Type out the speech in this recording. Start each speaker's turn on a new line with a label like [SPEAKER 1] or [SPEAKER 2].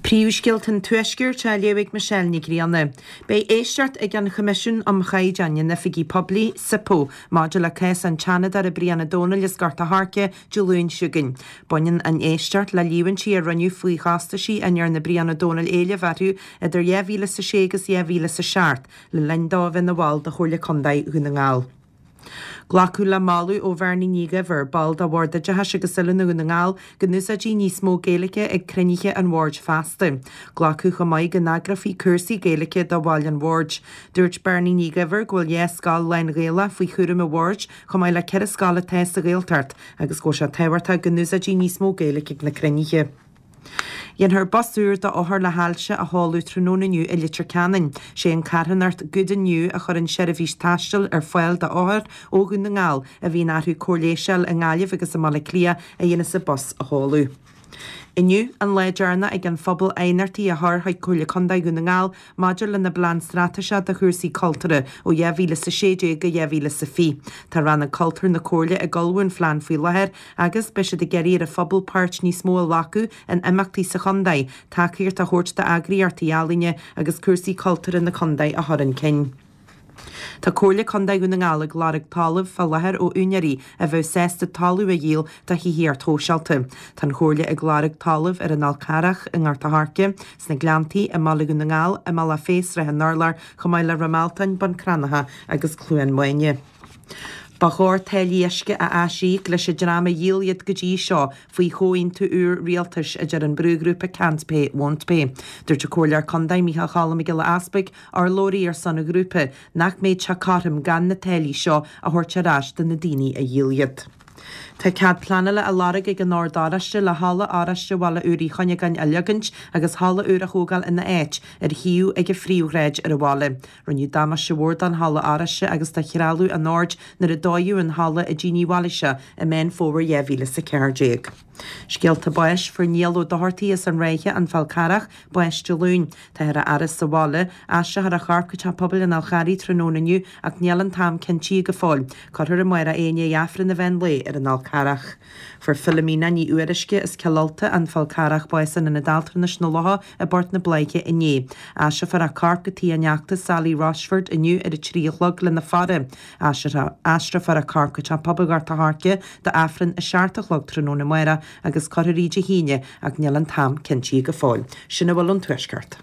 [SPEAKER 1] Príomhscéalta an Tuaiscirt á léamh ag Michelle Nic Grianna. Beidh éisteacht ag an Choimisiún um Chaighdeáin in Oifigí Poiblí, SIPO, maidir le cás an tSeanadóra Brian Ó Domhnaill as Gort a' Choirce Dé Luain seo chugainn. Baineann an éisteacht le líomhaintí a rinneadh faoi chostaisí a ndearna Brian Ó Domhnaill éileamh orthu idir 2006 agus 2007 le linn dó a bheith ina bhall de Chomhairle Contae Dhún na nGall. Glacadh le moladh ó Bhernie Ní Dhuibhir, ball de Bhord Oideachais agus Oiliúna Dhún na nGall, go n-úsáidfí níos mó Gaeilge ag cruinnithe an bhoird feasta. Glacadh chomh maith go n-eagrófaí cúrsaí Gaeilge do bhaill an bhoird. Dúirt Bernie Ní Dhuibhir go bhfuil 2 scoil lán-Ghaelach faoi chúram an bhoird, chomh maith le 4 scoil atá sa Ghaeltacht, agus go bhfuil sé tábhachtach go n-úsáidfí níos mó Gaeilge ag na cruinnithe. Déanfar bus úr d'othair le hailse a sheoladh tráthnóna inniu i Leitir Ceanainn. Sé an carthanacht Good and New a chuireann seirbhís taistil ar fáil d'othair ó Dhún na nGall a bhíonn orthu cóir leighis a fháil i nGaillimh agus i mBaile Átha Cliath a dhéanas an bus a sheoladh. Inniu an lá deireanach ag an phobal aighneachtaí a chur chuig Comhairle Contae Dhún na nGall maidir lena bPlean Straitéiseach do chúrsaí cultúrtha ó 2016 go 2020. Tá Rannóg Cultúir na Comhairle ag ullmhú an phlean faoi láthair agus beidh siad ag iarraidh ar an phobal páirt níos mó a ghlacadh in imeachtaí sa chontae, tacaíocht a thabhairt d'eagraíochtaí ealaíne agus cúrsaí cultúrtha na contae a chur chun cinn. Tá Comhairle Contae Dhún na nGall ag lorg talaimh fá láthair ó úinéirí a bheadh sásta talamh a dhíol do thithíocht shóisialta. Tá an Chomhairle ag lorg talaimh ar an Fhál Carrach, i nGort a' Choirce, sna Gleanntaí, i mBaile Dhún na nGall, i mBealach Féich, Srath an Urláir, chomh maith le Ráth Mealtain, Bun Cranncha agus Cluain Maine. Ba chóir táillí uisce a aisíoc leis an dream a dhíol iad go dtí seo faoi chomhaontú úr rialtais, a deir an brúghrúpa Can't Pay, Won't Pay. Dúirt an Comhairleoir Contae Micheál Cholm Mac Giolla Easpaig, urlabhraí ar son an ghrúpa, nach mbeadh sé cothrom gan na táillí seo a thabhairt ar ais do na daoine a dhíol iad. Tá cead pleanála á lorg ag an Ord Oráiste le Halla Oráiste Bhaile Úr Uí Chuinneagáin a leagaint agus halla úr a thógáil ina áit ar shuíomh ag an phríomhshráid ar an bhaile. Rinneadh damáiste mhór don Halla Oráiste agus do threalamh an Oird nuair a dódh an halla i dTín Uí Mhailíse i Meán Fómhair 2014. Scéalta báis, Fuair Niall Ó Dochartaigh as an Ráithe, An Fál Carrach, bás Dé Luain. Táthar á fhaire sa bhaile. Aistreofar a chorp go Teach Pobail an Fháil Charraigh tráthnóna inniu ach níl an t-am cinntithe go fóill. Cuirfear amárach é i ndiaidh Aifreann an mheán lae ar an Fhál Carrach. Fuair Philomena Ní Fhuaruisce as Cill Ulta, An Fál Carrach bás in Ionad Altranais na Locha i bPort na Bláiche inné. Aistreofar a corp go tigh a neachta Sally Rochford inniu ar a 3 a chlog lena faire. Aistreofar a corp go Teach Pobail Ghort a' Choirce d'Aifreann a 7 a chlog tráthnóna amárach agus cuirfear í Dé hAoine ach níl an t-am cinntithe go fóill. Sin a bhfuil ón Tuaisceart.